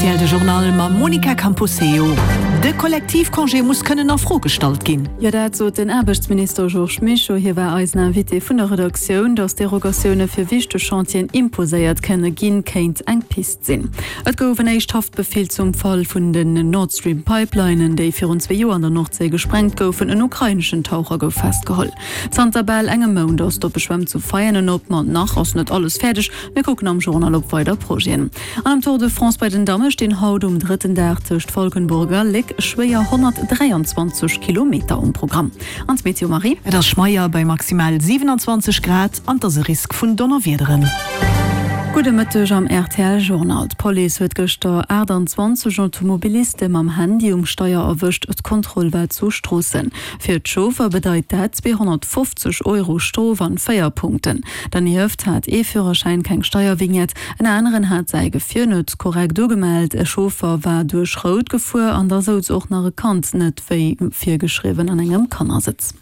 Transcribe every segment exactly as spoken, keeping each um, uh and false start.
Rtl de Journal mam Monica Camposeo. De Kollektivcongé muss kënnen a Fro gestallt ginn. Jo, dat sot den Aarbechtsminister Georges Mischo. Hie war eisen Invité vun der Redaktioun. Datt Derogatioune fir wichteg Chantieren imposéiert kënne ginn, kéint eng Pist sinn. Et gouf en éischt Haftbefeel zum Fall vun den Nord Stream Pipelinen, déi virun zwee Joer an der Nordséi gesprengt goufen. En ukraineschen Taucher gouf festgeholl. Zanter bal engem Mount ass d'oppe Schwämm zu Veianen op, ma nach ass net alles fäerdeg. Mir kucken am Journal op weider Projeten. An am Tour de France bei den Damme stinn haut um drëtten Dag tëscht Valkenburg a Léck schwéier honnertdräianzwanzeg Kilometer um Programm. An d'Meteo Marie? Et ass schmeier bei maximal siwenanzwanzeg Grad an et ass e Risk vun Donnerwiederen. Gudde Mëtteg am rtl Journal. D'Police huet gëschter aachtanzwanzeg Automobiliste mam Handy um Steier erwëscht. D'Kontroll war zu Stroossen. Fir d'Chauffer bedeit dat zweehonnertfofzeg Euro Strof an véier Punkten. Dernieft hat ee Führerschäin keng Steiervignette, en aneren hat säi Gefier net korrekt ugemellt, e Chauffer war duerch Rout gefuer an da souz och nach e Kand net wéi virgeschriwwen an engem Kannersëtz.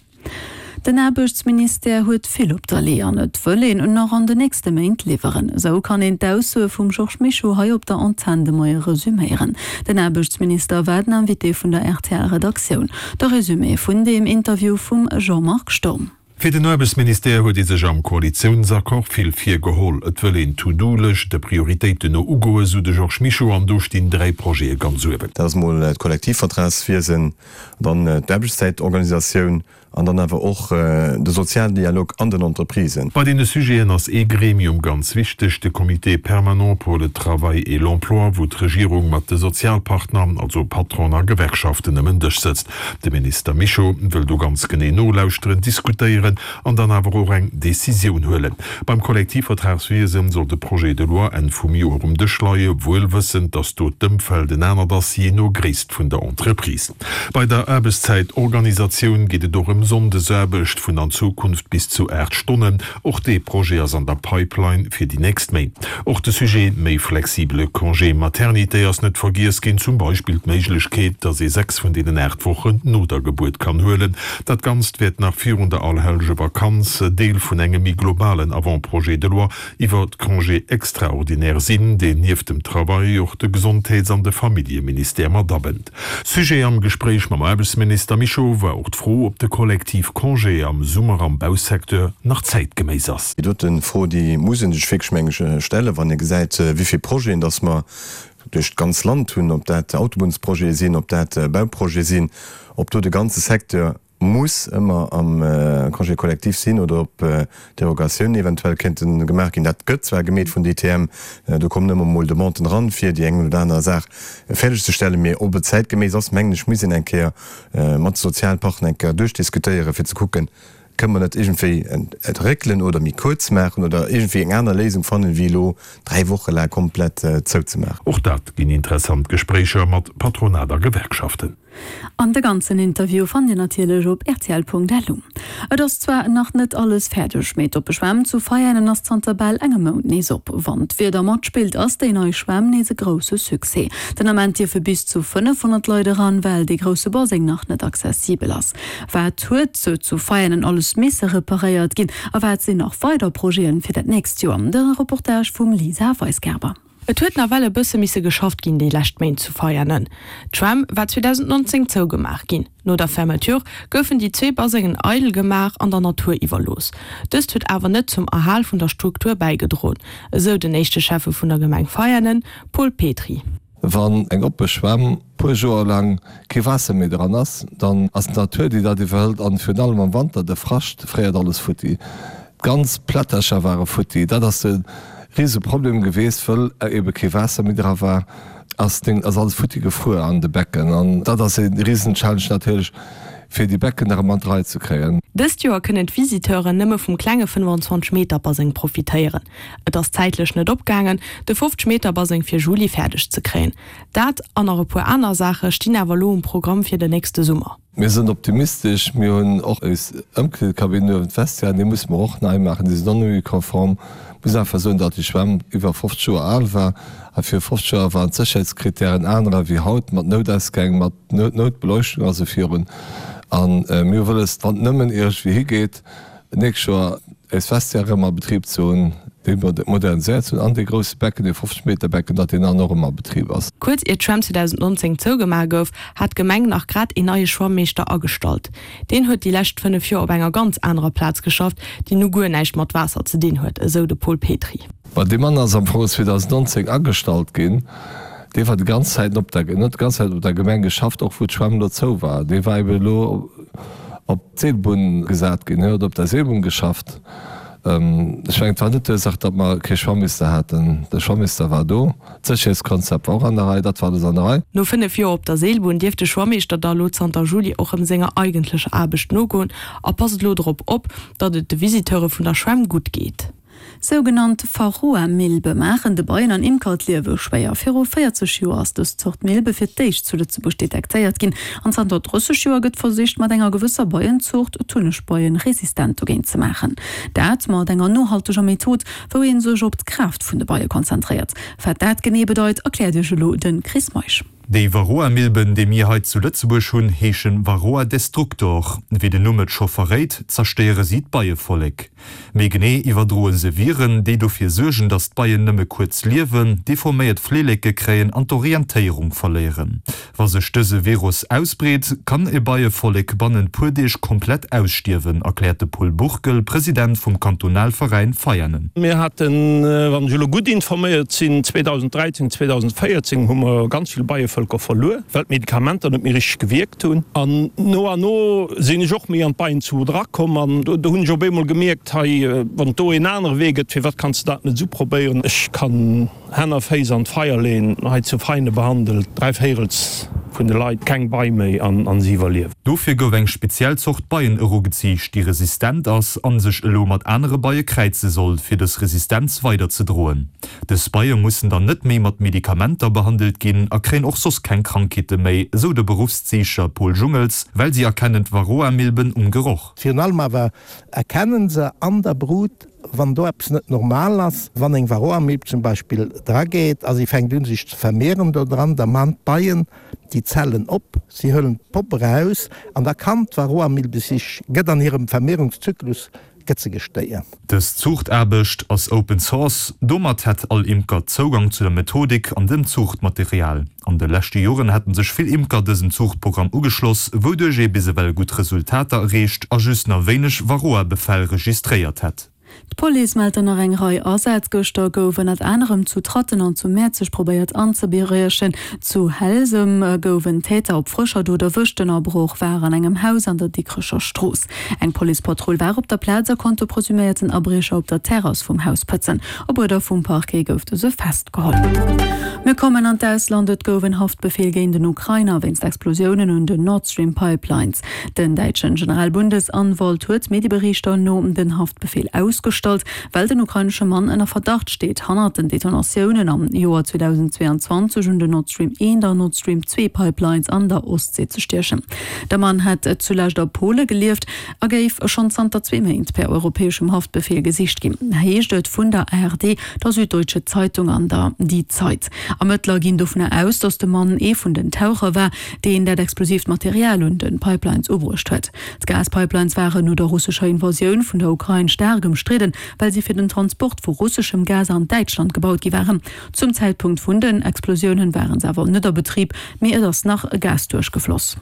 Den Aarbechtsministère huet vill op der Lee an et wëll een nach an de nächste Méint liwweren. Esou kann een d'Aussoe vum Georges Mischo hei op der Antenn de Moie resuméieren. Den Aarbechtsminister war den Invité vun der R T L-Redaktioun. De Resumé vun deem Interview vum Jean-Marc Sturm. Fir den Aarbechtsministère huet ee sech am Koalitiounsaccord vill virgeholl. Et wëll een d'To-Do-Lëscht de Prioritéiten no ugoen, sou de Georges Mischo, an do stinn dräi Projete ganz uewen. Dat ass mol d'Kollektivvertragswiesen, dann d'Aarbechtszäitorganisatioun an dann awer och de Sozialdialog an den Entreprisen. Bei deene Sujeten ass ee Gremium ganz wichteg, de Comité permanent pour le travail et l'emploi, wou d'Regierung mat de Sozialpartner, also Patronen a Gewerkschaften, ëm en Dësch sëtzt. De Minister Mischo wëll do ganz genee nolauschteren, diskutéieren an dann awer och eng Decisioun huelen. Beim Kollektivvertragswiesen soll de Projet de loi Enn vum Joer um Dësch leie, wuel wëssend, datt do d'Ëmfeld en anert ass, jee no Gréisst vun der Entreprise. Bei der Aarbechtszäitorganisatioun geet et och ëm Sonndesaarbecht vun an Zukunft bis zu aacht Stonnen. Och dee Projet ass an der Pipeline fir déi nächst Méint. Och de Sujet méi flexibele Congé maternité ass net vergiess ginn, zum Beispill d'Méiglechkeet, datt ee sechs vun deenen aacht Wochen no der Gebuert kann huelen. Dat Ganzt wäert nach virun der Allerhellegevakanz Deel vun engem méi globalen Avant-projet de loi iwwer d'Congés extraordinaires sinn, deen nieft dem Travail och de Gesondheets an de Familljeministère mat abënnt. Sujet am Gespréich mam Aarbechtsminister Mischo war och d'Fro, ob de Kollektivcongé am Summer am Bausecteur nach zäitgeméiss ass. Déi dote Fro, déi muss ee sech wierklech, meng ech, stellen, wann ee gesäit, wéi vill Projeten dass mer duerch d'ganz Land hunn, ob dat Autobunnsprojete sinn, ob dat Bauprojete sinn, ob do de ganze Secteur muss ëmmer am Congé collectif sinn oder ob Derogatiounen eventuell kéinte gemaach ginn. Dat gëtt zwar gemeet vun D T M, do kommen ëmmer mol Demanden eran, fir déi eng oder aner Saach fäerdegzestellen, mee ob et zäitgeméiss ass, mengen ech, muss een eng Kéier mat de Sozialpartner eng Kéier duerchdiskutéieren, fir ze kucken, kënne mer net iergendwéi et réckelen oder méi kuerz maachen oder iergendwéi eng aner Léisung fannen, wéi elo dräi Woche laang komplett zouzemaachen. Och dat ginn interessant Gespréicher mat Patronat a Gewerkschaften. An de ganzen Interview fannt Dir natierlech op rtl Punkt L U. Et ass zwar nach net alles fäerdeg, mee d'oppe Schwämm zu Veianen ass zanter bal engem Mount nees op. Wann d'Wieder matspillt, ass déi nei Schwämm nees e grousse Succès. Den Ament dierfe bis zu fënnefhonnert Leit eran, well dee grousse Baseng nach net accessibel ass. Wat huet zu Veianen alles misse reparéiert ginn a wat sinn nach weider Projeten fir dat nächst Joer? De Reportage vum Lisa Weisgerber. Et huet nawell e bësse misse geschafft ginn déi lescht Méint zu Veianen. D'Schwämm war zweedausendnonzéng zougemaach ginn. No der Fermeture goufen déi zwee Basengen eidel gemaach an der Natur iwwerlooss. Dëst huet awer net zum Erhal vun der Struktur bäigedroen, esou den éischte Schäffe vun der Gemeng Veianen, Paul Petry. Wann eng oppe Schwämm puer Joer laang kee Waasser méi dran ass, dann ass d'Natur déi dat iwwerhëlt an virun allem am Wanter de Frascht fréiert alles futti. D'ganz Plättercher ware futti. Dat ass de Rieseproblem geweest, wëll ebe kee Waasser méi dra war, ass deng ass alles futti gefruer an de Becken an dat ass e Riesenchallenge natierlech fir déi Becken erëm an d'Rei ze kréien. Dëst Joer kënnen d'Visiteuren nëmme vum klenge fënnefanzwanzeg Meter Baseng profitéieren. Et ass zäitlech net opgaangen, de fofzeg Meter Baseng fir Juli fäerdeg ze kréien. Dat an nach e puer aner Saache stinn awer elo um Programm fir den nächste Summer. Mir sinn optimistesch, mir hunn och eis Ëmkleedekabinn uewen, d'Vestiairen, déi musse mer och nei maachen, déi sinn och net méi konform. Muss einfach soen, datt déi Schwämm iwwer fofzeg Joer al war a viru fofzeg Joer waren d'Sécherheetskrittären anerer wéi haut, mat Noutausgäng, mat Noutbeleuchtung a sou virun. A mir hu wëlles, wann et nëmmen iergendwéi higeet, d'nächst Joer eis Vestiaire erëm a Betrib ze hunn. Dee moderniséiert hunn an dee grousse Becken, dee fofzeg Meter Becken, datt deen dann och ëmmer a Betrib ass. Kuerz ier d'Schwämm zweedausendnonzéng zougemaach gouf, hat d'Gemeng nach grad een neie Schwammeeschter agestallt. Deen huet déi lescht fënnef Joer op enger ganz anerer Plaz geschafft, déi nu guer näischt mat Waasser ze dinn huet, esou de Paul Petry. Ma dee Mann ass am Fong zweedausendnonzéng agestallt ginn. Dee war déi ganz Zäiten op der, en huet déi ganz Zäit op der Gemeng geschafft, och wou d'Schwämm elo zou war. Dee war eben elo op d'Seelbunn gesat ginn, hien huet op der Seelbunn geschafft. Ech mengen, et war net d'Ursaach, datt mer kee Schwammeester haten. De Schwammeester war do, d'Sécherheetskonzept war och an der Rei, dat war alles an der Rei. No fënnef Joer op der Seelbunn dierf de Schwammeeschter da elo zanter Juli och rëm senger eigentlecher Aarbecht nogoen a passt elo drop op, datt et de Visiteure vun der Schwämm gutt geet. Sougenannt Varroa-Milbe maachen de Beien an Imker d'Liewe schwéier. Viru véierzeg Joer ass dës Zort Milbe fir d'éischt zu Lëtzebuerg detektéiert ginn an zanter drësseg Joer gëtt versicht, mat enger gewësser Beienzuucht d'Hunnegbeien resistent dogéint ze maachen. Dat mat enger nohalteger Method, wou ee sech op d'Kraaft vun de Beie konzentréiert. Wat dat genee bedeit, erkläert iech elo de Chris Meisch. Déi Varroa-Milben, déi mir hei zu Lëtzebuerg hunn, heeschen Varroa destructor. Wéi den Numm et scho verréit, zerstéiere si d'Beievollek. Méi genee iwwerdroe se Viren, déi dofir suergen, datt d'Beien nëmme kuerz liewen, deforméiert Flilleke kréien an d'Orientéierung verléieren. Wa sech dëse Virus ausbreet, kann e Beievollek bannent puer Deeg komplett ausstierwen, erkläert de Paul Burkel, President vum Kantonalveräin Veianen. Mir haten, wann ech elo gutt informéiert sinn, zweedausend dräizéng, zweedausend véierzéng hu mer ganz vill Beievëlker verluer, well d'Medikamenter net méi richteg gewierkt hunn. An no an no sinn ech och méi an d'Beienzuucht erakomm an do hunn ech op eemol gemierkt, hei, wann et do een anere Wee gëtt, firwat kanns de dat net esou probéieren? Ech kann Hänn a Féiss an d'Feier leeën, hei zu Veine behandelt dräi Véirels vun de Leit keng Bei méi an si iwwerliewen. Dofir gouf eng speziell Zort Beien erugeziicht, déi resistent ass an sech elo mat anere Beie kräize soll, fir dës Resistenz weiderzedroen. Dës Beie mussen dann net méi mat Medikamenter behandelt ginn a kréien och soss keng Krankheete méi, esou de Beruffsziichter Paul Jungels, well si erkennen d'Varroa-Milben um Geroch. Virun allem awer erkennen se an der Brut, wann do eppes net normal ass. Wann eng Varroamilb zum Beispill drageet a si fänkt un sech ze vermehren do dran, da man d'Beien déi Zellen op, si huelen d'Popp eraus an da kann d'Varroamilbe sech, gëtt an hirem Vermehrungszyklus gëtt se gestéiert. Dës Zuuchtaarbecht ass Open Source, domat hätt all Imker Zougang zu der Methodik an dem Zuuchtmaterial. An de leschte Joren hätten sech vill Imker dësem Zuuchtprogramm ugeschloss, wouduerch ee bis ewell gutt Resultater erreecht a just nach wéineg Varroa-Befäll registréiert hätt. D'Police mellt der nach eng Rei Asätz. Gëschter gouf ënnert anerem zu Tratten an zu Mäerzeg probéiert anzebriechen. Zu Helsem gouf en Täter op frëscher Dot erwëscht. Den Abroch war an engem Haus an der Dikrecher Strooss. Eng Policepatrull war op der Plaz a konnt de presuméierten Abriecher op der Terrass vum Haus pëtzen. Op Uerder vum Parquet gouf dëse festgeholl. Mir kommen an d'Ausland, Et gouf en Haftbefeel géint en Ukrainer wéinst Explosiounen un den Nord Stream Pipelines. Den däitschen Generalbundesanwalt huet Medieberichter no den Haftbefeel ausgestallt, well den ukrainesche Mann ënner Verdacht steet, hannert den Detonatiounen am Joer zweedausend zweeanzwanzeg un den Nord Stream eent an Nord Stream zwee Pipelines an der Ostsee ze stiechen. De Mann hätt zulescht a Pole gelieft a géif schonn zanter zwee Méint per europäeschem Haftbefeel gesicht ginn, heescht et vun der A R D, der Süddeutsche Zeitung an der Die Zeit. Ermëttler ginn dovunner aus, datt de Mann ee vun den Taucher war, deen dat explosiivt Material un de Pipelines ubruecht huet. D'Gaspipelines waren no der russescher Invasioun vun der Ukrain staark ëmstridden, well si fir den Transport vu russeschem Gas an Däitschland gebaut gi waren. Zum Zäitpunkt vun den Explosiounen waren se awer net a Betrib, mee et ass nach Gas duerchgefloss.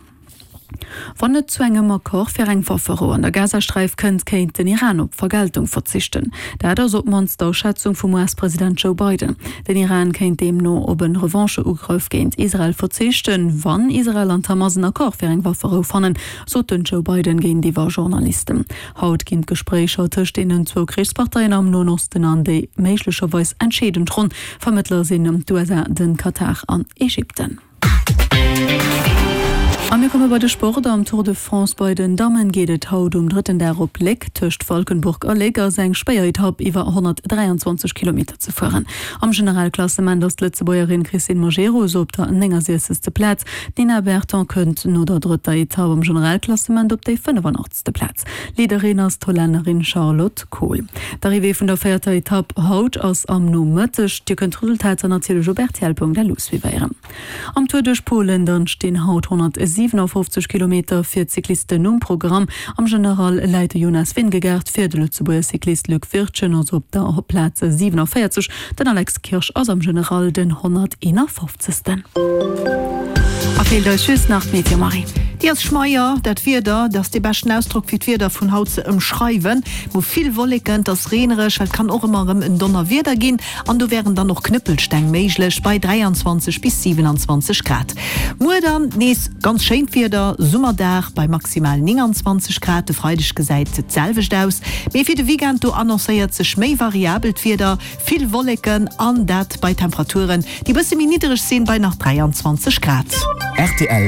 Wann et zu engem Accord fir eng Wafferou an der Gazasträif kënnt, kéint den Iran op Vergeltung verzichten. Dat ass op d'mannst d'Aschätzung vum U S-President Joe Biden. Den Iran kéint deemno op e Revanche-Ugrëff géint Israel verzichten, wann Israel an d'Hamas en Accord fir eng Wafferou fannen, sot den Joe Biden géintiwwer Journalisten. Haut ginn d'Gespréicher tëscht deenen zwou Krichsparteien am Noen Osten an déi méiglecherweis entscheedend Ronn. Vermëttler sinn d'U S A, de Katar an Ägypten. A mir komme bei de Sport. Am Tour de France bei den Dammen geet et haut um drëtten Dag op Léck. Tëscht Valkenburg a Léck ass eng schwéier Etapp iwwer honnertdräianzwanzeg Kilometer ze fueren. Am Generalklassement ass d'Lëtzebuergerin Christine Majerus op der néngasechzegste Plaz. D'Nina Berton kënnt no der drëtter Etapp am Generalklassement op déi fënnefanachtste Plaz. Leaderin ass d'Hollännerin Charlotte Kool. D'Arrivée vun der véierter Etapp haut ass am Nomëtteg. Dir kënnt d'Resultater natierlech op rtl Punkt lu suivéieren. Am Tour duerch Polen dann stinn haut honnertsiwen siwenafoffzeg Kilometer fir d'Cyclisten um Programm. Am General läit de Jonas Vingegaard vir, de Lëtzebuerger Cyclist Luc Wirtgen ass op der Plaz siwenavéierzeg, den Alex Kirsch ass am General den honnerteenafoffzegsten. A feelt eis just nach d'Meteo, Marie. Déi ass schmeier, dat Wieder. Dat ass dee beschten Ausdrock fir d'Wieder vun haut ze ëmschreiwen. Mer hu vill Wolleken, et ass reenereg, well et kann och ëmmer erëm en Donnerwieder ginn an do wären dann och Knëppelsteng méiglech bei dräianzwanzeg bis siwenanzwanzeg Grad. Muer dann nees ganz schéint Wieder, Summerdag bei maximal nénganzwanzeg Grad. De Freideg gesäit et d'selwecht aus, mee fir de Weekend do annoncéiert sech méi variabelt Wieder, vill Wolleken an dat bei Temperaturen, déi bësse méi niddereg sinn, bei nach dräianzwanzeg Grad. Rtl.